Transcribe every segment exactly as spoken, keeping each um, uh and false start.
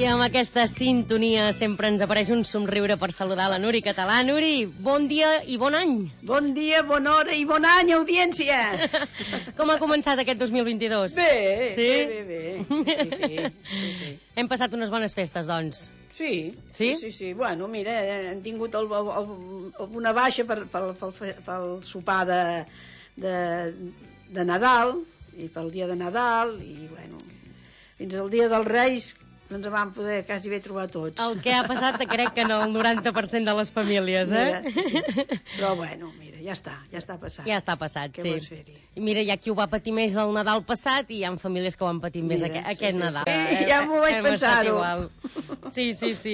I amb aquesta sintonia sempre ens apareix un somriure per saludar la Nuri Català. Nuri, bon dia i bon any. Bon dia, bona hora i bon any, audiència. Com ha començat aquest dos mil vint-i-dos? Bé, sí? bé, bé, bé. Sí, sí, sí, sí. Hem passat unes bones festes, doncs. Sí, sí, sí, sí, sí. Bueno, mira, hem tingut el, el, el, una baixa per, pel, pel, pel sopar de, de, de Nadal i pel dia de Nadal i, bueno, fins al dia dels Reis no ens vam poder quasi bé trobar tots. El que ha passat crec que en el noranta per cent de les famílies, eh? Mira, sí, sí. Però bueno, mira, ja està, ja està passat. Ja està passat, Què sí. vols fer-hi? Mira, hi ha qui ho va patir més el Nadal passat i hi ha famílies que ho han patit més Mira, aquest, sí, aquest sí, Nadal. sí. Eh, Ja m'ho vaig hem pensar-ho. Sí, sí, sí.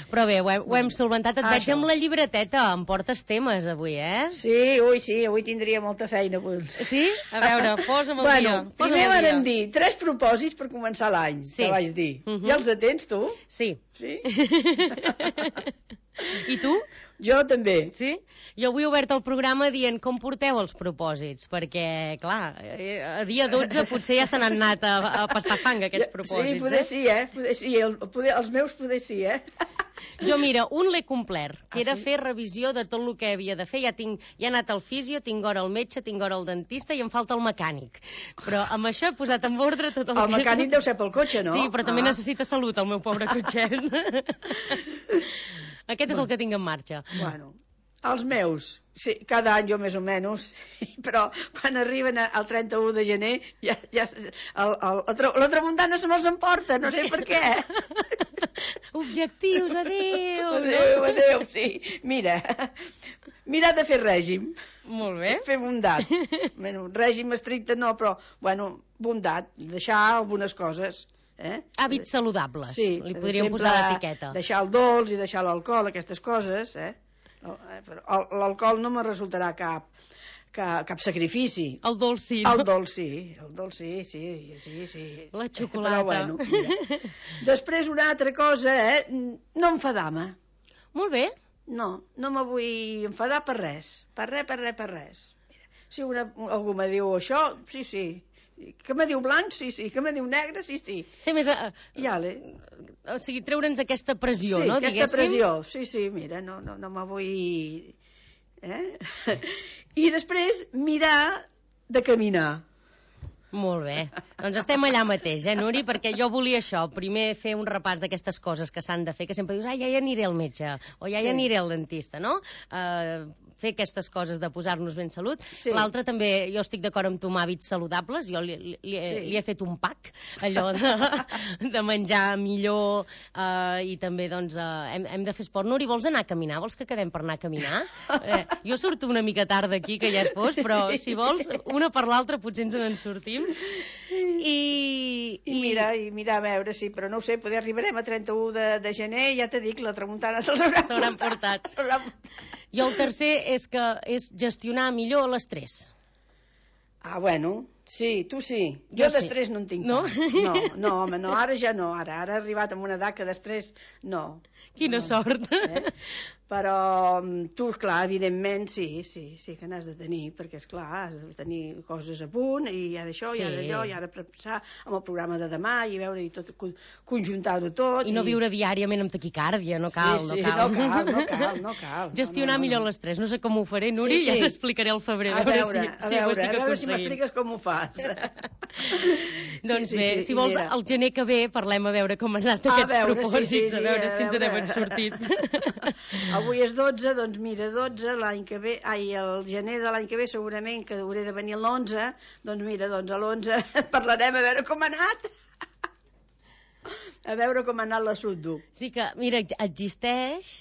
Però bé, ho hem, ho hem solventat. Et Ah, veig això. amb la llibreteta. Em portes temes avui, eh? Sí, ui, sí, avui tindria molta feina. Avui. Sí? A veure, posa'm el bueno, dia. Posa'm primer el dia. vam dir tres propòsits per començar l'any, Sí. que vaig dir. Uh -huh. Ja els atens, tu? Sí. Sí? I tu? Jo també. Sí? Jo avui he obert el programa dient com porteu els propòsits, perquè, clar, eh, a dia dotze potser ja se n'han anat a, a pastar fang aquests propòsits. Sí, poder eh? sí, eh? Poder sí, el, poder, els meus poder sí, eh? Jo, mira, un l'he complert, que Ah, era sí? fer revisió de tot el que havia de fer. Ja, tinc, ja he anat al fisio, tinc hora al metge, tinc hora al dentista i em falta el mecànic. Però amb això he posat en ordre tot el, El que... mecànic deu ser pel cotxe, no? Sí, però també Ah. necessita salut, el meu pobre cotxet. Aquest és el que tinc en marxa. Bueno, els meus, sí, cada any jo més o menys, però quan arriben a- al trenta-u de gener ja, ja el, el, la, tra la tramuntana se me'ls emporta, no sé per què. Objectius, adéu! Adéu, adéu, sí. Mira, mirar de fer règim. Molt bé. Fer bondat. Bueno, règim estricte no, però, bueno, bondat, deixar algunes coses. Eh? Hàbits saludables, Sí, li per podríem exemple, posar l'etiqueta. deixar el dolç i deixar l'alcohol, aquestes coses, eh? L'alcohol no me resultarà cap, cap, cap sacrifici. El dolç sí. El dolç sí, el dolç sí, sí, sí, sí. La xocolata. Però bueno, mira. Després una altra cosa, eh? No enfadar-me. Molt bé. No, no me vull enfadar per res. Per res, per res, per res. Mira, si una, algú me diu això, sí, sí. Que me diu blanc, sí, sí. Que me diu negre, sí, sí. Ser més... A... I ale. O sigui, treure'ns aquesta pressió, sí, no? aquesta Diguéssim. pressió. Sí, sí, mira, no, no, no me vull... Eh? I després mirar de caminar. Molt bé. Doncs estem allà mateix, eh, Nuri? Perquè jo volia això, primer fer un repàs d'aquestes coses que s'han de fer, que sempre dius, ah, ja hi aniré al metge, o ja hi Sí. aniré al dentista, no? Uh, fer aquestes coses de posar-nos ben salut. Sí. L'altre també, jo estic d'acord amb tu amb hàbits saludables, jo li, li, li, Sí. li he fet un pack, allò de, de menjar millor, uh, i també, doncs, uh, hem, hem de fer esport. Nuri, vols anar a caminar? Vols que quedem per anar a caminar? Eh, jo surto una mica tard d'aquí, que ja és fos, però si vols, una per l'altra potser ens en sortim. I, I mira, i mirar a veure, sí, però no ho sé, poder arribarem a trenta-u de, de gener, ja t'he dit, la tramuntana se'ls haurà S'hauran portat. I el tercer és que és gestionar millor l'estrès. Ah, bueno, sí, tu sí. Jo, Jo sí. d'estrès no en tinc No? pas. No, no, home, no, ara ja no, ara, ara he arribat a una edat que d'estrès no. Quina no. sort. Eh? Però tu, clar, evidentment, sí, sí, sí que n'has de tenir, perquè, és clar, has de tenir coses a punt, i hi ha d'això, Sí. hi ha d'allò, i ara pensar amb el programa de demà, i veure i tot, conjuntar-ho tot. I no viure diàriament amb taquicàrdia, no cal, sí, sí, no cal. no cal, no cal, no cal. Gestionar no, no, no, millor no. l'estrès. No sé com ho faré, Nuri, Sí, ja sí. t'explicaré al febrer, A a veure, veure, si, a si ho veure, estic a veure si aconseguint. m'expliques com ho fas. Doncs Sí, sí, bé, sí, si i vols, mira. el gener que ve parlem a veure com han anat A aquests veure, sí, propòsits, sí, sí, a veure a si ens veure. n'hem sortit. Avui és dotze, doncs mira, dotze, l'any que ve, ai, el gener de l'any que ve segurament que hauré de venir l'onze, doncs mira, doncs a l'onze parlarem a veure com ha anat. A veure com ha anat l'assumpte. Sí que, mira, existeix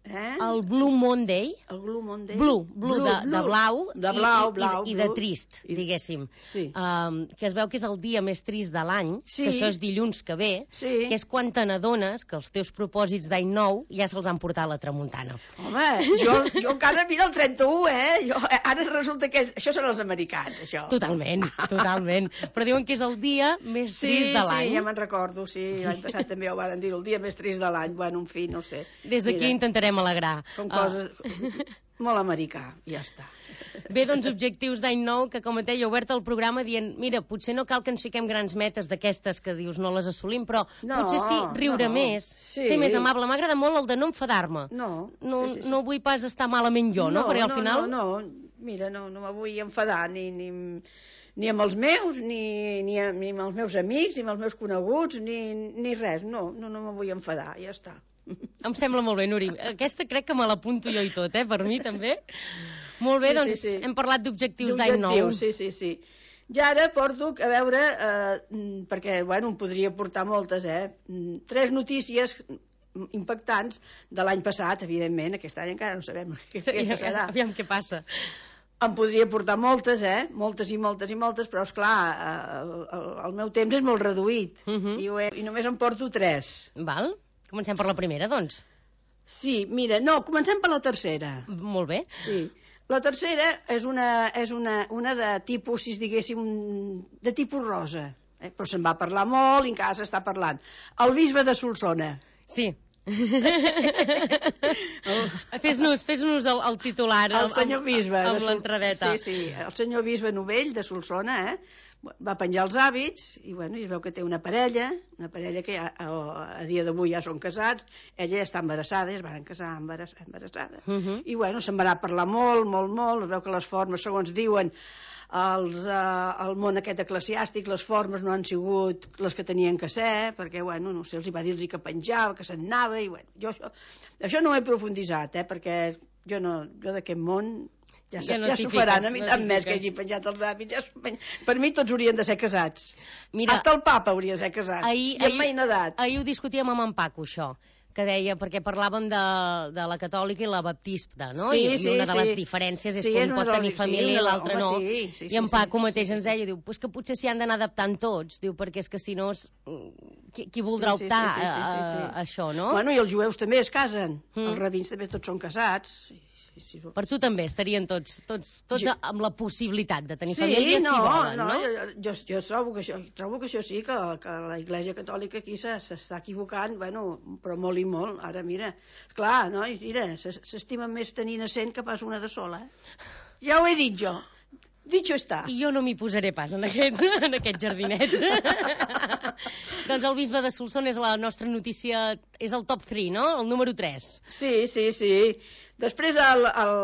Eh? el Blue Monday, El Blue Monday. Blue, blue, de, de blau, de blau, i, blau, i, i de blue. trist, I- diguéssim. Sí. Um, que es veu que és el dia més trist de l'any, Sí. que això és dilluns que ve, Sí. que és quan te n'adones que els teus propòsits d'any nou ja se'ls han portat a la tramuntana. Home, jo, jo encara mira el trenta-u, eh? Jo, ara resulta que... Això són els americans, això. Totalment, totalment. Però diuen que és el dia més Sí, trist de l'any. sí, ja me'n recordo, sí. L'any passat també ho van dir, el dia més trist de l'any. Bueno, en fi, no sé. Des d'aquí Mira, intentarem alegrar. Són Ah, coses... molt americà, ja està. Bé, doncs, objectius d'any nou, que com et deia, he obert el programa dient, mira, potser no cal que ens fiquem grans metes d'aquestes que dius no les assolim, però no, potser sí riure no, més, sí. ser més amable. M'agrada molt el de no enfadar-me. No, no, sí, sí, sí. no vull pas estar malament jo, no? no Perquè al no, final... No, no, mira, no, no me vull enfadar ni, ni, ni amb els meus, ni, ni, ni amb els meus amics, ni amb els meus coneguts, ni, ni res. No, no, no me vull enfadar, ja està. Em sembla molt bé, Nuri. Aquesta crec que me l'apunto jo i tot, eh? Per mi també. Molt bé, sí, doncs sí, sí. hem parlat d'objectius d'any nou. Sí, sí, sí. I ara porto a veure, eh, perquè, bueno, em podria portar moltes, eh? Tres notícies impactants de l'any passat, evidentment. Aquest any encara no sabem què, Sí, què passarà. Aviam què passa. Em podria portar moltes, eh? Moltes i moltes i moltes, però, esclar, el, el, el meu temps és molt reduït. Uh -huh. I, ho he, I només em porto tres. Val? Comencem per la primera, doncs. Sí, mira, no, comencem per la tercera. Molt bé. Sí. La tercera és una, és una, una de tipus, si es diguéssim, de tipus rosa. Eh? Però se'n va parlar molt i encara s'està parlant. El bisbe de Solsona. Sí. Fes-nos fes-nos el, el titular. El senyor bisbe. Amb, amb Sol... l'entrebeta. Sí, sí, el senyor bisbe Novell de Solsona, eh? Va penjar els hàbits i, bueno, i es veu que té una parella, una parella que ja, a, a dia d'avui ja són casats, ella ja està embarassada, es van casar embarass, embarassada. Uh -huh. I, bueno, se'n va anar a parlar molt, molt, molt, es veu que les formes, segons diuen, els, eh, el món aquest eclesiàstic, les formes no han sigut les que tenien que ser, perquè, bueno, no sé, els hi va dir-los que penjava, que se'n anava, i, bueno, jo això, això no ho he profunditzat, eh, perquè jo, no, jo d'aquest món... Ja, ja, no ja s'ho faran, a mi tant més que hagi penjat els hàbits. Ja per mi tots haurien de ser casats. Mira, hasta el papa hauria de ser casat. Ahir, I amb maina edat. Ahir ho discutíem amb en Paco, això, que deia, perquè parlàvem de, de la catòlica i la baptista, no? Sí, I, sí, i una de les sí. diferències és sí, que és un pot tenir família sí, i l'altre no. Sí, sí, I en sí, Paco sí, mateix sí, ens deia, diu, pues que potser s'hi han d'anar adaptant tots, diu, perquè és que si no, és... qui, qui voldrà sí, sí, optar sí, sí, sí, sí, sí. a, a això, no? Bueno, i els jueus també es casen. Mm. Els rabins també tots són casats. Sí. Sí, sí, per tu també estarien tots, tots, tots jo... amb la possibilitat de tenir sí, família no, si volen, no? no? Jo, jo, trobo, que això, trobo que això sí, que, que la Iglesia Catòlica aquí s'està equivocant, bueno, però molt i molt. Ara, mira, clar, no? Mira, s'estimen més tenint a cent que pas una de sola. Eh? Ja ho he dit jo. Dicho està. I jo no m'hi posaré pas en aquest, en aquest jardinet. Doncs el bisbe de Solsona és la nostra notícia, és el top tres, no? El número tres. Sí, sí, sí. Després el, el,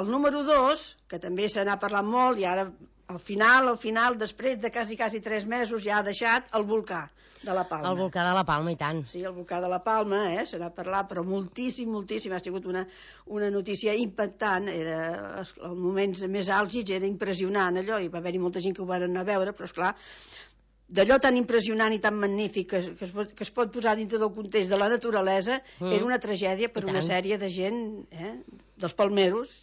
el número dos, que també se n'ha parlat molt, i ara al final, al final, després de quasi, quasi tres mesos, ja ha deixat el volcà de la Palma. El volcà de la Palma, i tant. Sí, el volcà de la Palma, eh, se n'ha parlat, però moltíssim, moltíssim. Ha sigut una, una notícia impactant. Era, els moments més àlgids era impressionant, allò, i va haver-hi molta gent que ho van anar a veure, però, esclar, d'allò tan impressionant i tan magnífic que, que, es pot, que es pot posar dintre del context de la naturalesa, mm. era una tragèdia per una sèrie de gent, eh, dels palmeros.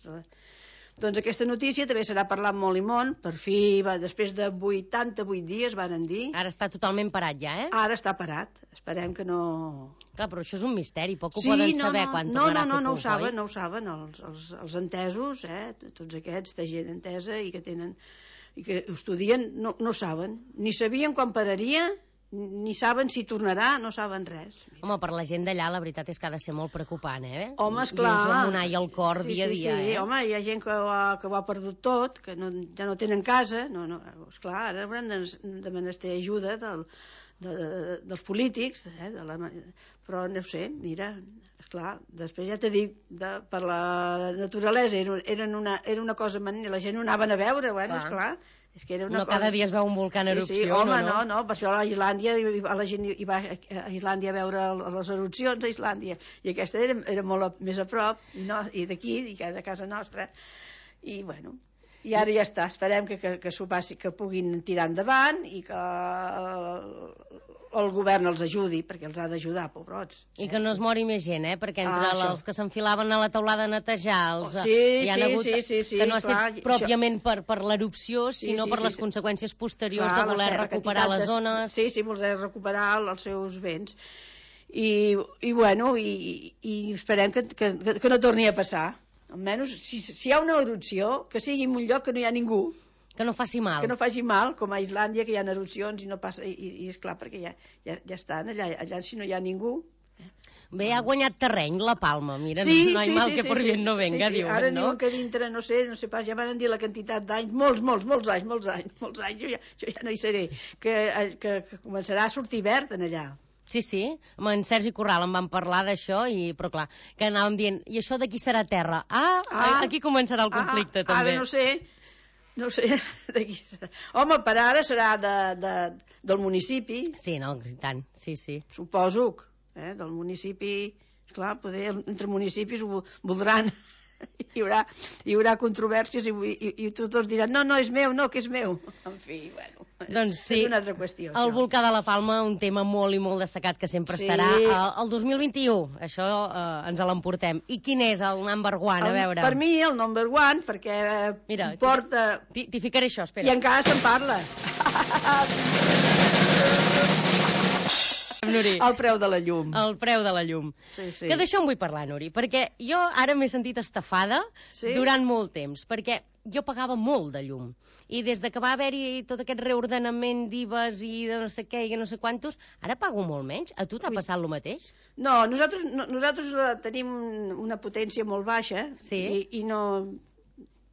Doncs aquesta notícia també se n'ha parlat molt i molt. Per fi, va, després de vuitanta-vuit dies, varen dir... Ara està totalment parat ja, eh? Ara està parat. Esperem que no... Clar, però això és un misteri, poc ho sí, poden no, saber no, quan no, tornarà no, no, a fer no ho puc, saben, oi? no ho saben, els, els, els entesos, eh, tots aquests, de gent entesa i que tenen... i que ho estudien, no, no saben. Ni sabien quan pararia, ni saben si tornarà, no saben res. Mira. Home, per la gent d'allà la veritat és que ha de ser molt preocupant, eh? Home, esclar. Dius amb un ai al cor sí, dia a sí, dia, sí. eh? Home, hi ha gent que ho ha, que ho ha perdut tot, que no, ja no tenen casa, no, no, esclar, ara hauran de, de menester ajuda del, de, de, dels polítics, eh, de la, però no sé, mira, esclar, després ja t'he dit, de, per la naturalesa era, eren una, era una cosa, la gent ho anaven a veure, bueno, esclar, és que era una no cosa... cada dia es veu un volcà en sí, erupció, sí, home, no, no, no, per això a Islàndia, a la gent hi va a Islàndia a veure les erupcions a Islàndia, i aquesta era, era molt a, més a prop, no, i d'aquí, i de casa nostra, i bueno, i ara ja està, esperem que, que, que s'ho passi, que puguin tirar endavant i que el govern els ajudi, perquè els ha d'ajudar, pobrots. I que no es mori més gent, eh? Perquè entre ah, els que s'enfilaven a la taulada a netejar, els, oh, sí, hi ha sí, hagut, sí, sí, sí, que no ha clar, estat pròpiament això... per, per l'erupció, sinó sí, sí, per sí, les sí. conseqüències posteriors clar, de voler la, recuperar les zones... Sí, sí, voler recuperar els seus béns. I, i bueno, i, i esperem que, que, que no torni a passar. Almenys, si, si hi ha una erupció, que sigui en un lloc que no hi ha ningú, que no faci mal. Que no faci mal, com a Islàndia, que hi ha erupcions i no passa, i, i és clar, perquè ja, ja, ja estan allà, allà si no hi ha ningú. Eh? Bé, ha guanyat terreny, la Palma. Mira, sí, no hi sí, mal sí, que sí, per sí, bien no venga, sí, sí. diuen, Ara no? diuen que dintre, no sé, no sé pas, ja van dir la quantitat d'anys, molts, molts, molts anys, molts anys, molts anys, jo ja, jo ja no hi seré, que, que, que començarà a sortir verd en allà. Sí, sí, amb en Sergi Corral em van parlar d'això, i però clar, que anàvem dient, i això d'aquí serà terra? Ah, ah aquí començarà el conflicte, ah, també. Ara no sé, no sé, d'aquí serà. Home, per ara serà de, de, del municipi. Sí, no, i tant, sí, sí. Suposo, eh, del municipi, clar, poder, entre municipis ho voldran, hi haurà, hi haurà controvèrsies i, i, i tots diran, no, no, és meu, no, que és meu. En fi, bueno, doncs sí, és una altra qüestió. El això. volcà de la Palma, un tema molt i molt destacat que sempre Sí. serà eh, el dos mil vint-i-u, això eh, ens l'emportem. I quin és el number one, a El, veure? per mi, el number one, perquè eh, Mira, porta... T'hi t'hi ficaré això, espera. I encara se'n parla. Nuri. El preu de la llum. El preu de la llum. Sí, sí. Que d'això en vull parlar, Nuri, perquè jo ara m'he sentit estafada Sí? durant molt temps, perquè jo pagava molt de llum. I des de que va haver-hi tot aquest reordenament d'I V As i de no sé què i no sé quantos, ara pago molt menys. A tu t'ha passat el mateix? No, nosaltres, no, nosaltres eh, tenim una potència molt baixa Sí. i, i no,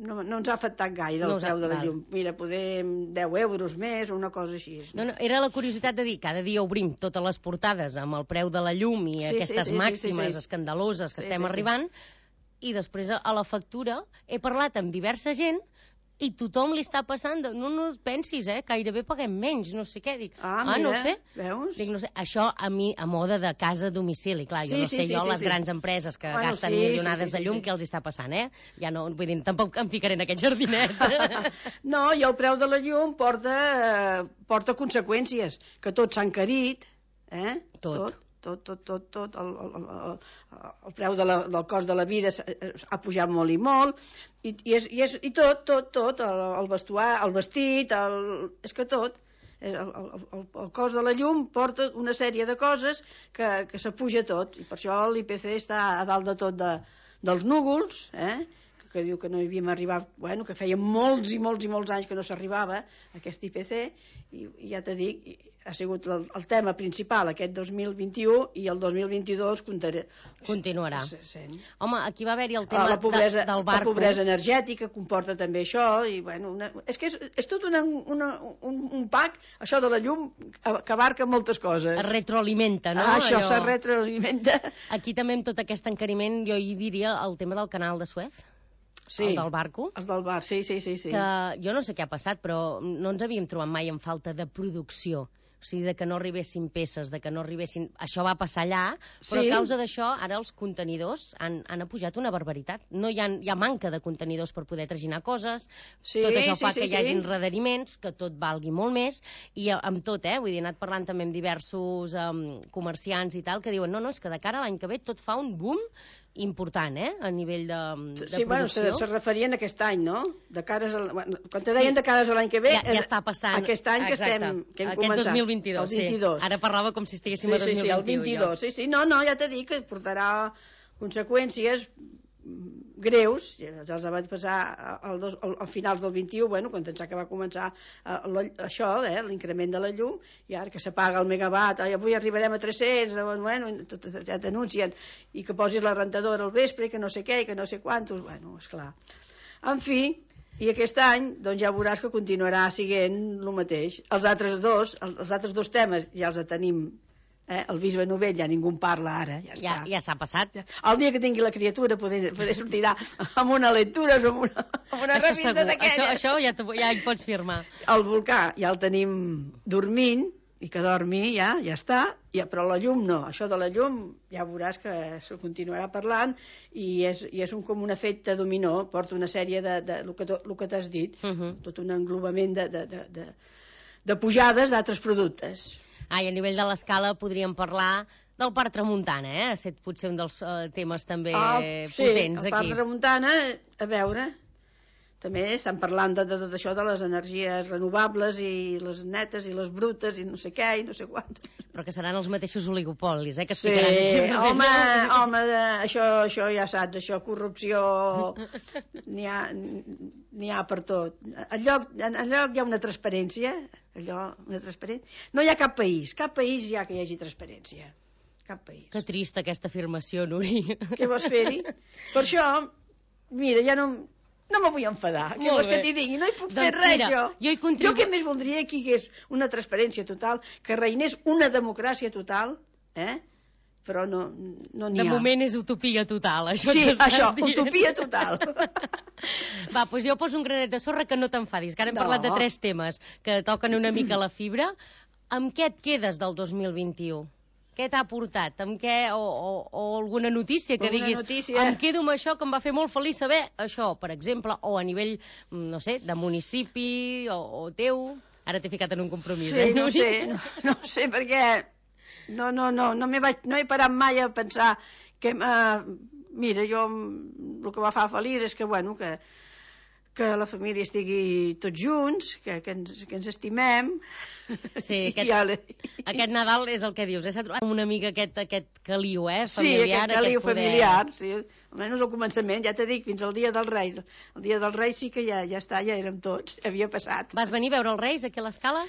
no, no ens ha afectat gaire No el us ha- preu de la val. llum. Mira, podem deu euros més o una cosa així. No, no, era la curiositat de dir, cada dia obrim totes les portades amb el preu de la llum i Sí, aquestes sí, sí, màximes sí, sí. escandaloses que Sí, estem sí, sí. arribant, i després a, a la factura he parlat amb diversa gent i tothom li està passant de, no, no pensis, eh, gairebé paguem menys, no sé què. Dic, Ah, ah no mira, ho sé. veus? Dic, no sé. Això a mi, a moda de casa a domicili, clar, jo Sí, no sí, sé sí, jo sí, les sí. grans empreses que Bueno, gasten sí, milionades sí, sí, de llum, sí, sí. què els està passant, eh? Ja no, vull dir, tampoc em ficaré en aquest jardinet. No, i el preu de la llum porta, eh, porta conseqüències, que tot s'ha encarit, eh? Tot. Tot, tot, tot, tot. El, el, el, el preu de la, del cost de la vida s'ha- ha pujat molt i molt, i, i, és, i, és, i tot, tot, tot, el, el vestuar, el vestit, el, és que tot. El, el, el, el cost de la llum porta una sèrie de coses que, que s'apuja tot, i per això l'I P C està a dalt de tot de, dels núvols, eh? que diu que no hi havíem arribat, bueno, que feia molts i molts i molts anys que no s'arribava a aquest I P C, i, i ja t'he dit, ha sigut el, el tema principal aquest dos mil vint-i-u, i el dos mil vint-i-dos comptaré, Continuarà. se- sent. Home, aquí va haver-hi el tema la pobresa, de, del la barco. pobresa energètica comporta també això, i bueno, una, és que és, és tot una, una, un, un pack, això de la llum, que abarca moltes coses. Es retroalimenta, no? Ah, això Allò- se retroalimenta. Aquí també amb tot aquest encariment jo hi diria el tema del canal de Suez, Sí, el del barco, els del bar, sí, sí, sí. sí. que jo no sé què ha passat, però no ens havíem trobat mai en falta de producció. O sigui, de que no arribessin peces, de que no arribessin... Això va passar allà, però Sí. a causa d'això, ara els contenidors han, han apujat una barbaritat. No hi ha, hi ha manca de contenidors per poder traginar coses, Sí, tot això sí, fa sí, que hi sí. hagin rederiments, que tot valgui molt més, i a- amb tot, eh? Vull dir, he anat parlant també amb diversos um, comerciants i tal, que diuen, no, no, és que de cara a l'any que ve tot fa un boom important, eh? A nivell de, de Sí, bueno, se, producció. se referien a aquest any, no? De cares al, bueno, quan te deien Sí. de cares a l'any que ve... Ja, ja està passant. Aquest any que Exacte. estem, que hem Aquest començat. dos mil vint-i-dos, el vint-i-dos. sí. Ara parlava com si estiguéssim Sí, a sí, sí, el dos mil vint-i-u. vint-i-dos. Sí, sí, no, no, ja t'he dit que portarà conseqüències greus, ja els vaig passar al, dos, al, al finals del vint-i-u, bueno, quan pensava que va començar eh, la, això, eh, l'increment de la llum, i ara que s'apaga el megawatt, ai, avui arribarem a tres-cents, bueno, tot, tot, ja t'anuncien, i que posis la rentadora al vespre, i que no sé què, i que no sé quantos, bueno, esclar. En fi, i aquest any, doncs ja veuràs que continuarà siguent el mateix. Els altres dos, els altres dos temes ja els tenim. Eh? El bisbe Novell ja ningú en parla ara, ja Ja, està. ja s'ha passat. El dia que tingui la criatura poder, poder sortirà amb una lectura o amb una, amb una Això revista segur, això, d'aquelles. això ja, te- ja hi pots firmar. El volcà ja el tenim dormint, i que dormi ja, ja està, ja, però la llum no. Això de la llum ja veuràs que se continuarà parlant, i és, i és un, com un efecte dominó, porta una sèrie de, de, de, de el que t'has dit, Uh -huh. tot un englobament de, de, de, de, de pujades d'altres productes. Ah, i a nivell de l'escala podríem parlar del Parc Tramuntana, eh? Ha estat potser un dels eh, temes també Ah, sí, potents el Parc aquí. de Tramuntana, a veure, també estan parlant de, de tot això de les energies renovables i les netes i les brutes i no sé què i no sé quantes. Però que seran els mateixos oligopolis, eh? Que es Sí, ficaran aquí. home, home, això, això ja saps, això, corrupció, n'hi ha, n'hi ha per tot. En lloc, en, en lloc hi ha una transparència, allò, una transparència. No hi ha cap país, cap país hi ha que hi hagi transparència. cap país. Que trista aquesta afirmació, Nuri. Què vols fer-hi? Per això, mira, ja no, no me vull enfadar. Què vols que t'hi digui? No hi puc fer Doncs res, mira, jo. jo hi contribu- Jo què més voldria que hi hagués una transparència total, que reinés una democràcia total, eh? Però no no n'hi De ha. moment és utopia total, això Sí, ens estàs això, dient. utopia total. Va, doncs jo poso un granet de sorra que no t'enfadis, que ara hem No. parlat de tres temes que toquen una mica la fibra. Amb què et quedes del dos mil vint-i-u? Què t'ha portat? Amb què, o, o, o alguna notícia que Alguna diguis, notícia. em quedo amb això que em va fer molt feliç saber això, per exemple, o a nivell, no sé, de municipi o, o teu. Ara t'he ficat en un compromís, Sí, eh? no Nuri? sé, no, no sé, perquè no, no, no, no, m'he vaig, no he parat mai a pensar que, uh, mira, jo el que va fer feliç és que, bueno, que, que la família estigui tots junts, que, que, ens, que ens estimem. Sí, I aquest, ja le- aquest Nadal és el que dius, eh? S'ha trobat una mica aquest, aquest caliu, eh? Sí, Familiar, aquest caliu poder. familiar, sí. Almenys al començament, ja t'he dit, fins al dia dels Reis. El dia dels Reis sí que ja, ja està, ja érem tots, havia passat. Vas venir a veure els Reis aquí a l'Escala?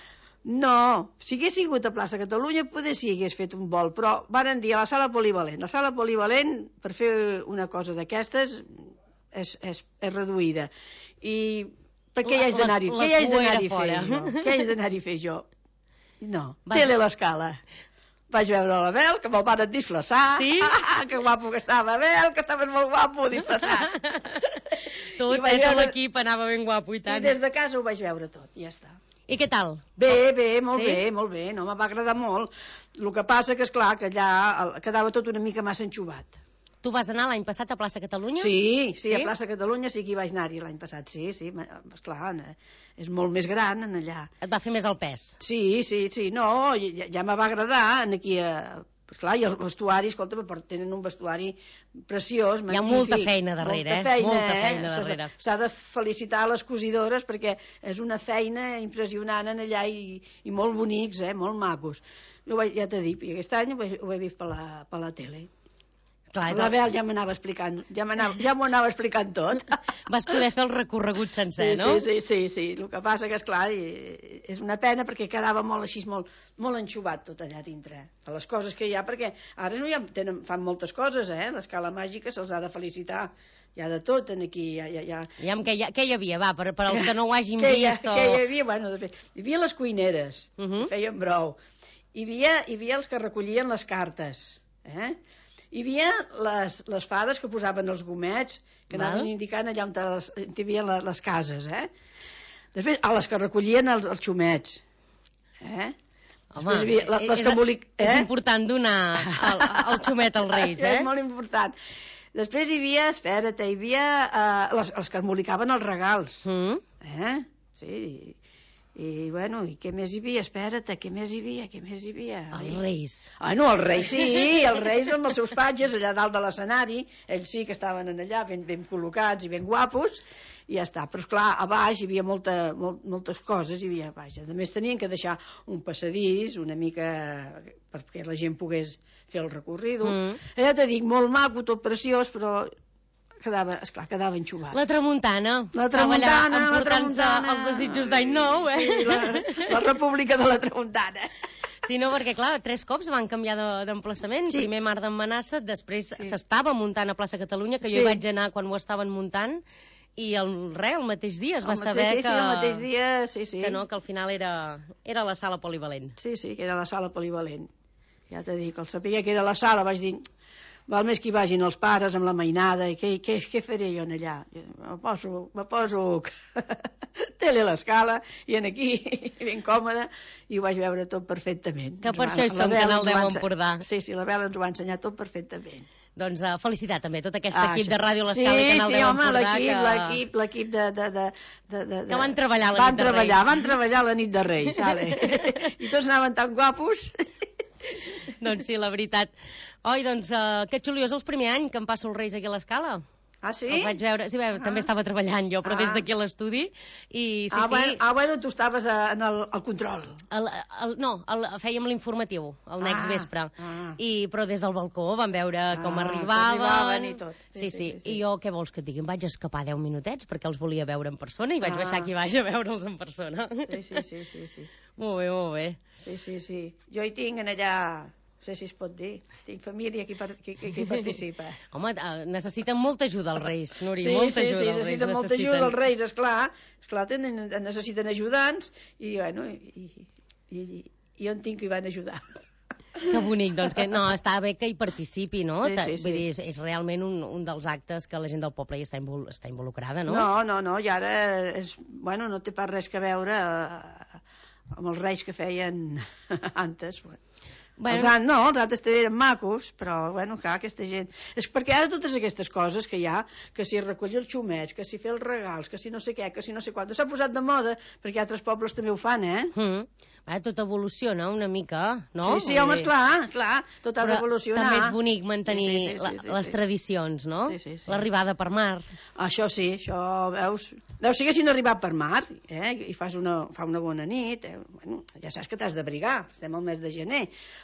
No, si hagués sigut a plaça Catalunya, poder sí hagués fet un vol, però varen dir a la sala polivalent. La sala polivalent, per fer una cosa d'aquestes, és, és, és reduïda. I per què La- hi haig d'anar-hi? la- la Què hi haig cua d'anar-hi era a fer fora. jo? Què hi haig d'anar-hi a fer jo? No, Vas- tele a l'Escala. Vaig veure la Bel, que me'l van disfressar. Sí? Ah, que guapo que estava, Bel, que estaves molt guapo disfressat. Tot, I vaig eh, tot veure- l'equip anava ben guapo i I tant. des de casa ho vaig veure tot, i ja està. I què tal? Bé, bé, molt Sí? bé, molt bé, no, me va agradar molt. El que passa que, esclar, que allà el- quedava tot una mica massa enxuvat. Tu vas anar l'any passat a Plaça Catalunya? Sí, sí, Sí? a Plaça Catalunya sí que hi vaig anar-hi l'any passat, sí, sí, ma- esclar, eh, és molt més gran en allà. Et va fer més el pes. Sí, sí, sí, no, ja, ja me va agradar en aquí a... Esclar, i el vestuari, escolta, tenen un vestuari preciós, magnífic. Hi ha molta feina darrere, molta eh? feina, Molta eh? feina S'ha- darrere. S'ha de felicitar les cosidores perquè és una feina impressionant en allà i, i molt bonics, eh? Molt macos. Jo vaig, ja t'he dit, i aquest any ho he, ho he vist per la, per la tele. Clar, és La el... Bel ja m'anava explicant, ja m'anava, ja m'ho anava explicant tot. Vas poder fer el recorregut sencer, Sí, no? sí, sí, sí, sí. El que passa que, esclar, i- és una pena perquè quedava molt així, molt, molt enxuvat tot allà dintre, per les coses que hi ha, perquè ara no hi ha, tenen, fan moltes coses, eh? L'escala màgica se'ls ha de felicitar. Hi ha de tot en aquí. Hi ha, hi ha, hi ha... I amb què, hi, què hi havia? Va, per, per als que no ho hagin Què hi, ha, vist o... què hi havia? Bueno, després, hi havia les cuineres, Uh -huh. que feien brou. Hi havia, hi havia els que recollien les cartes, eh? Hi havia les, les fades que posaven els gomets, que Val. anaven indicant allà on les, hi havia les, les cases, eh? Després, a les que recollien els, els xumets, eh? Home, Després hi havia la- les és, que embolic- és eh? important donar el, el xumet als reis, eh? És molt important. Després hi havia, espera't, hi havia eh, les, els que embolicaven els regals, Mm? eh? Sí, i, i bueno, i què més hi havia? Espera't, què més hi havia? Què més hi havia? Els reis. Ah, no, els reis sí, els reis amb els seus patges allà dalt de l'escenari, ells sí que estaven en allà ben, ben col·locats i ben guapos, i ja està. Però, esclar, a baix hi havia molta, molt, moltes coses, hi havia a baix. A més, tenien que deixar un passadís una mica perquè la gent pogués fer el recorrido. Mm. Ja t'he dit, molt maco, tot preciós, però quedava, esclar, quedava enxuvat. La tramuntana. La Estava allà tramuntana, la emportant-se tramuntana. els desitjos d'any nou, eh? Sí, la, la república de la tramuntana. Sí, no, perquè, clar, tres cops van canviar de- d'emplaçament. Sí. Primer Mar d'Emmanassa, després Sí. s'estava muntant a Plaça Catalunya, que jo Sí. hi vaig anar quan ho estaven muntant, i el, res, el mateix dia es va Home, saber sí, sí, que, sí, el mateix dia, sí, sí. que no, que al final era, era la sala polivalent. Sí, sí, que era la sala polivalent. Ja t'he dit, que el saber que era la sala, vaig dir, val més que hi vagin els pares amb la mainada, i què, què, què faré jo en allà? Jo, Me poso, me poso tele a l'escala, i en aquí, ben còmode, i ho vaig veure tot perfectament. Que Ens per va- això hi la som, Bel Canal ens ho deu va ense- Empordà. Sí, sí, la Bel ens ho va ensenyar tot perfectament. Doncs uh, felicitat també tot aquest Ah, equip això. de Ràdio L'Escala sí, i Canal sí, deu home, Empordà l'equip, que... l'equip, l'equip de, de, de, de, de, Que van treballar la van nit de treballar, Reis. Van treballar la nit de Reis, vale. I tots anaven tan guapos. Doncs sí, la veritat. Oi, doncs, uh, que xuliós el primer any que em passo els Reis aquí a l'Escala. Ah, sí? Els vaig veure, sí, ah. també estava treballant jo, però Ah. des d'aquí a l'estudi, i sí, ah, sí... bueno, ah, bueno, tu estaves a, en el, el control. El, el, no, el, fèiem l'informatiu, el next Ah, vespre, ah. I, però des del balcó vam veure com Ah, arribaven... que arribaven i tot. Sí, Sí, sí, sí, sí, sí, sí. I jo, què vols que et digui? Em vaig escapar deu minutets perquè els volia veure en persona i vaig Ah. baixar aquí baix a veure'ls en persona. Sí, sí, sí, sí, sí. Molt bé, molt bé. Sí, sí, sí. Jo hi tinc en allà No sé si es pot dir. Tinc família que hi, par que, que, que hi participa. Home, necessiten molta ajuda els Reis, Núria, sí, molta sí, ajuda sí, els Reis. necessiten molta ajuda els Reis, esclar. Esclar, tenen, necessiten ajudants i, bueno, i, i, i, i jo en tinc que hi van ajudar. Que bonic, doncs que no, està bé que hi participi, no? Sí, sí, sí. Vull dir, és, és realment un, un dels actes que la gent del poble hi està, invol està involucrada, no? No, no, no, i ara és, bueno, no té pas res que veure eh, amb els reis que feien antes. Bueno. Bueno. Els an, no, els altres també eren macos, però, bueno, clar, aquesta gent... És perquè ara totes aquestes coses que hi ha, que si recollir els xumets, que si fer els regals, que si no sé què, que si no sé quant, s'ha posat de moda, perquè altres pobles també ho fan, eh? Mm. Eh, tot evoluciona una mica, no? Sí, sí, home, esclar, esclar, tot ha d'evolucionar. També és bonic mantenir sí, sí, sí, sí, sí, sí, les sí. tradicions, no? Sí, sí, sí. L'arribada per mar. Això sí, això, veus, veus, si haguessin arribat per mar, eh, i fas una, fa una bona nit, eh, bueno, ja saps que t'has d'abrigar, estem al mes de gener,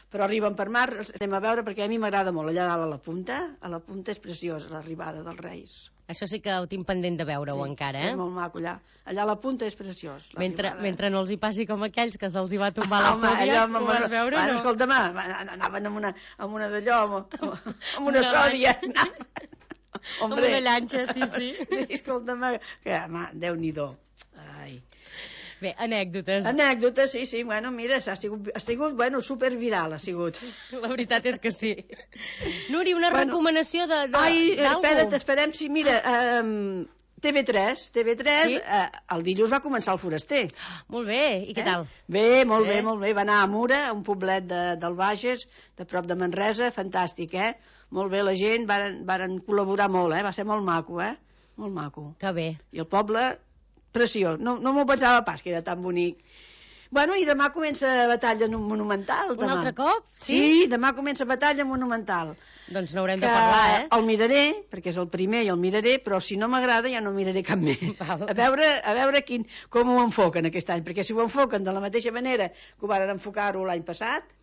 però arriben per mar, anem a veure, perquè a mi m'agrada molt, allà dalt a la punta, a la punta és preciosa, l'arribada dels Reis. Això sí que ho tinc pendent de veure-ho sí, encara, eh? És molt maco allà. Allà a la punta és preciós. Mentre, mentre no els hi passi com aquells que se'ls hi va tombar la Home, fòbia, allò, ho vas veure, bueno, no? Escolta'm, anaven amb una, amb una d'allò, amb, amb una sòdia. Amb una llanxa, sí, sí. Sí, escolta'm, que, home, Déu-n'hi-do. Ai... Bé, anècdotes. Anècdotes, sí, sí, bueno, mira, ha sigut, ha sigut bueno, superviral, ha sigut. La veritat és que sí. Núria, una bueno, recomanació de, de, ai, espera't, esperem, sí, mira, um, T V tres, T V tres, sí? uh, el dilluns va començar el Foraster. Molt bé, i què eh? tal? Bé, molt bé, bé, molt bé, va anar a Mura, un poblet de, del Bages, de prop de Manresa, fantàstic, eh? Molt bé, la gent, varen, varen col·laborar molt, eh? Va ser molt maco, eh? Molt maco. Que bé. I el poble... preciós, no, no m'ho pensava pas que era tan bonic. Bueno, i demà comença batalla monumental. Demà. Un altre cop? Sí? Sí, demà comença batalla monumental. Doncs n'haurem de parlar, eh? El miraré, perquè és el primer i el miraré, però si no m'agrada ja no miraré cap més. Val. A veure, a veure quin, com ho enfoquen aquest any, perquè si ho enfoquen de la mateixa manera que ho van enfocar-ho l'any passat,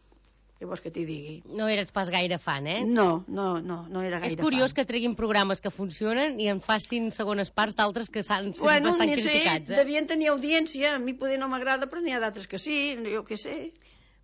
què vols que t'hi digui? No eres pas gaire fan, eh? No, no, no, no era gaire fan. És curiós fan. Que treguin programes que funcionen i en facin segones parts d'altres que s'han sigut bueno, bastant sé, criticats, eh? Devien tenir audiència, a mi poder no m'agrada, però n'hi ha d'altres que sí, jo què sé.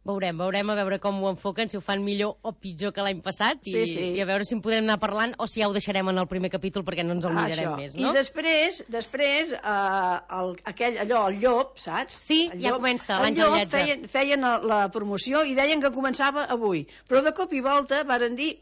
Veurem, veurem a veure com ho enfoquen, si ho fan millor o pitjor que l'any passat, i, sí, sí. i a veure si en podem anar parlant o si ja ho deixarem en el primer capítol perquè no ens el mirarem Això. més, no? I després, després eh, el, aquell, allò, el llop, saps? Sí, el ja llop, comença, El l'Àngel llop Lletja. feien, feien la promoció i deien que començava avui, però de cop i volta varen dir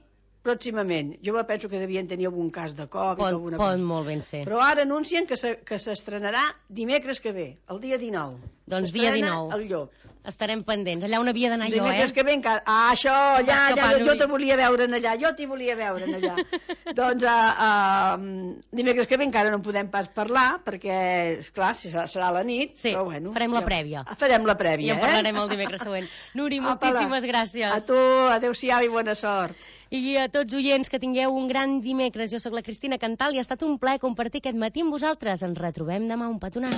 pròximament. Jo me penso que devien tenir algun cas de Covid pot, o alguna pot cosa. molt ben ser. Però ara anuncien que s'estrenarà dimecres que ve, el dia dinou. Doncs dia dinou. El llop. Estarem pendents. Allà on havia d'anar jo, eh? Dimecres que ve encara... Ah, això, allà, allà, jo, jo te volia veure allà, jo t'hi volia veure allà. Doncs uh, uh, dimecres que ve encara no podem pas parlar, perquè, esclar, serà, serà la nit, sí, però bueno... farem la ja, prèvia. Farem la prèvia, eh? I en parlarem el dimecres següent. Núria, moltíssimes gràcies. A tu, adeu-siau i bona sort. I a tots oients, que tingueu un gran dimecres. Jo sóc la Cristina Cantal i ha estat un plaer compartir aquest matí amb vosaltres. Ens retrobem demà. Un petonàs.